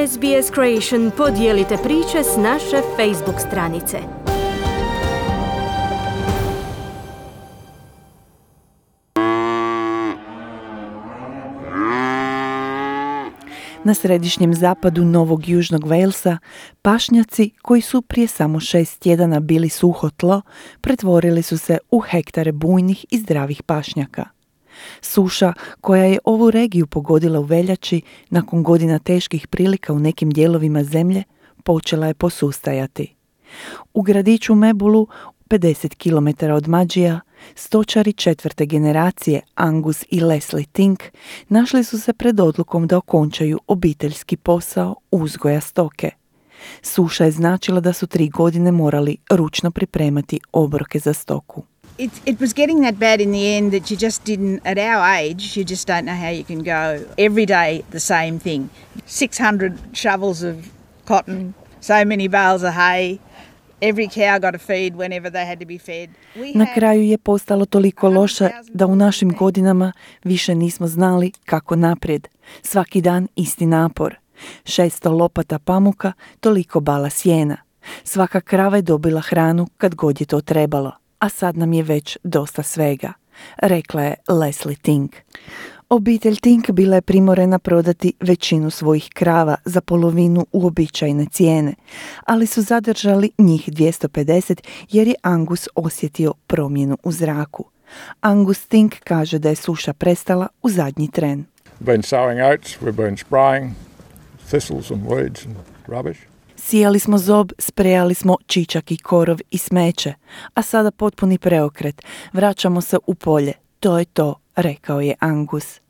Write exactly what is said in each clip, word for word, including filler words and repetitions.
S B S Creation podijelite priče s naše Facebook stranice. Na središnjem zapadu Novog Južnog Walesa pašnjaci koji su prije samo šest tjedana bili suho tlo pretvorili su se u hektare bujnih i zdravih pašnjaka. Suša koja je ovu regiju pogodila u veljači nakon godina teških prilika u nekim dijelovima zemlje počela je posustajati. U gradiću Mebulu, pedeset kilometara od Mađija, stočari četvrte generacije Angus i Leslie Tink našli su se pred odlukom da okončaju obiteljski posao uzgoja stoke. Suša je značila da su tri godine morali ručno pripremati obroke za stoku. It, it was getting that bad in the end that you just didn't, at our age, you just don't know how you can go. Every day the same thing. six hundred shovels of cotton, so many bales of hay. Every cow got a feed whenever they had to be fed. Na kraju je postalo toliko loše da u našim godinama više nismo znali kako naprijed. Svaki dan isti napor. šesto lopata pamuka, toliko bala sjena. Svaka krava je dobila hranu kad god je to trebalo, a sad nam je već dosta svega, rekla je Leslie Tink. Obitelj Tink bila je primorena prodati većinu svojih krava za polovinu uobičajene cijene, ali su zadržali njih dvjesto pedeset jer je Angus osjetio promjenu u zraku. Angus Tink kaže da je suša prestala u zadnji tren. We've been sowing oats, we've been spraying thistles and weeds and rubbish. Sijali smo zob, sprejali smo čičak i korov i smeće, a sada potpuni preokret. Vraćamo se u polje. To je to, rekao je Angus.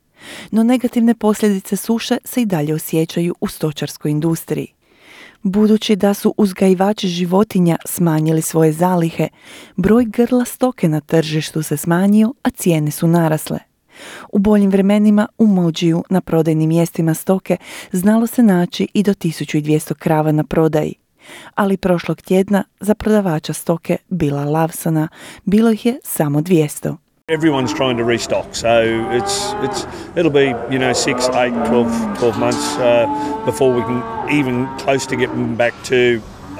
No negativne posljedice suše se i dalje osjećaju u stočarskoj industriji. Budući da su uzgajivači životinja smanjili svoje zalihe, broj grla stoke na tržištu se smanjio, a cijene su narasle. U boljim vremenima u Mođiju na prodajnim mjestima stoke znalo se naći i do tisuću dvjesto krava na prodaji. Ali prošlog tjedna za prodavača stoke Billa Lawsona bilo ih je samo dvjesto. Everyone's trying to restock, so it's it's it'll be, you know, six, eight, twelve, twelve months uh, before we can even close to getting back to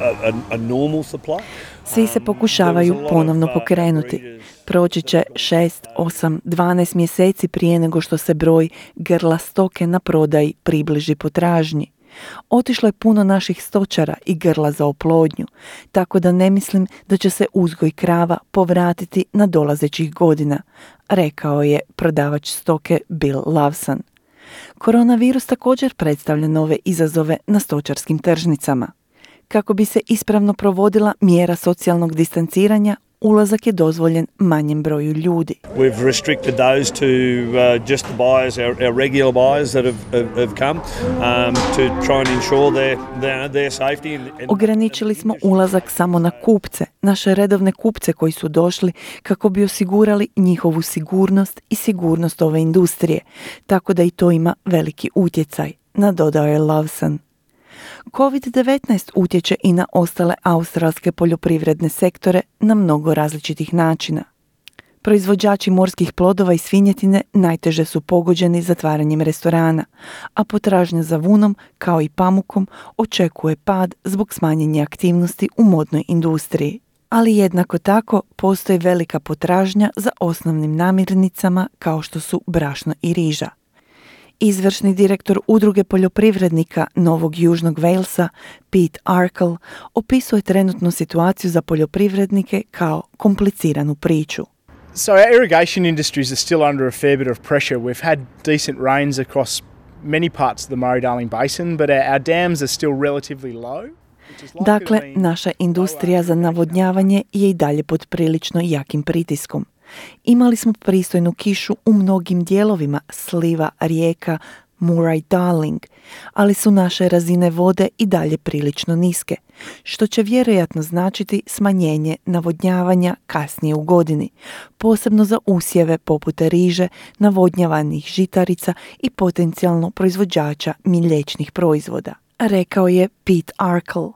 a, a, a normal supply. Svi se pokušavaju ponovno pokrenuti. Proći će šest, osam, dvanaest mjeseci prije nego što se broj grla stoke na prodaji približi potražnji. Otišlo je puno naših stočara i grla za oplodnju, tako da ne mislim da će se uzgoj krava povratiti na dolazećih godina, rekao je prodavač stoke Bill Lawson. Koronavirus također predstavlja nove izazove na stočarskim tržnicama. Kako bi se ispravno provodila mjera socijalnog distanciranja, ulazak je dozvoljen manjem broju ljudi. We've restricted those to uh, just the buyers, our, our regular buyers that have, have, have come um, to try and ensure their, their, their safety. And, and Ograničili smo ulazak samo na kupce, naše redovne kupce koji su došli kako bi osigurali njihovu sigurnost i sigurnost ove industrije, tako da i to ima veliki utjecaj, nadodao je Lawson. kovid devetnaest utječe i na ostale australske poljoprivredne sektore na mnogo različitih načina. Proizvođači morskih plodova i svinjetine najteže su pogođeni zatvaranjem restorana, a potražnja za vunom, kao i pamukom, očekuje pad zbog smanjenja aktivnosti u modnoj industriji. Ali jednako tako postoji velika potražnja za osnovnim namirnicama kao što su brašno i riža. Izvršni direktor Udruge poljoprivrednika Novog Južnog Walesa, Pete Arkle, opisuje trenutnu situaciju za poljoprivrednike kao kompliciranu priču. So our irrigation industries are still under a fair bit of pressure. We've had decent rains across many parts of the Murray-Darling Basin, but our, our dams are still relatively low. Dakle, naša industrija za navodnjavanje je i dalje pod prilično jakim pritiskom. Imali smo pristojnu kišu u mnogim dijelovima sliva rijeka Murray-Darling, ali su naše razine vode i dalje prilično niske, što će vjerojatno značiti smanjenje navodnjavanja kasnije u godini, posebno za usjeve poput riže, navodnjavanih žitarica i potencijalno proizvođača mliječnih proizvoda, rekao je Pete Arkle.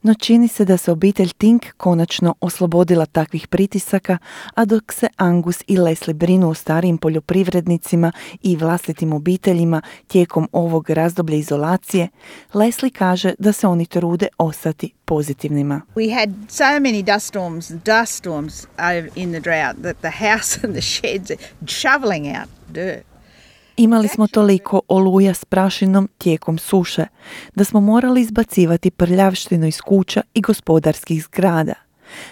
No čini se da se obitelj Tink konačno oslobodila takvih pritisaka, a dok se Angus i Leslie brinu o starijim poljoprivrednicima i vlastitim obiteljima tijekom ovog razdoblja izolacije, Leslie kaže da se oni trude ostati pozitivnima. We had so many dust storms, dust storms in the drought that the house and the sheds are shoveling out dirt. Imali smo toliko oluja s prašinom tijekom suše, da smo morali izbacivati prljavštinu iz kuća i gospodarskih zgrada.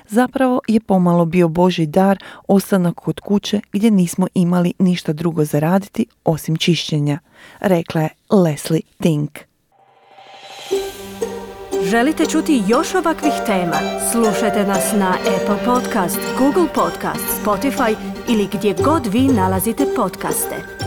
Zapravo je pomalo bio Božji dar ostanak kod kuće gdje nismo imali ništa drugo za raditi osim čišćenja, rekla je Leslie Tink. Želite čuti još ovakvih tema? Slušajte nas na Apple Podcast, Google Podcast, Spotify ili gdje god vi nalazite podcaste.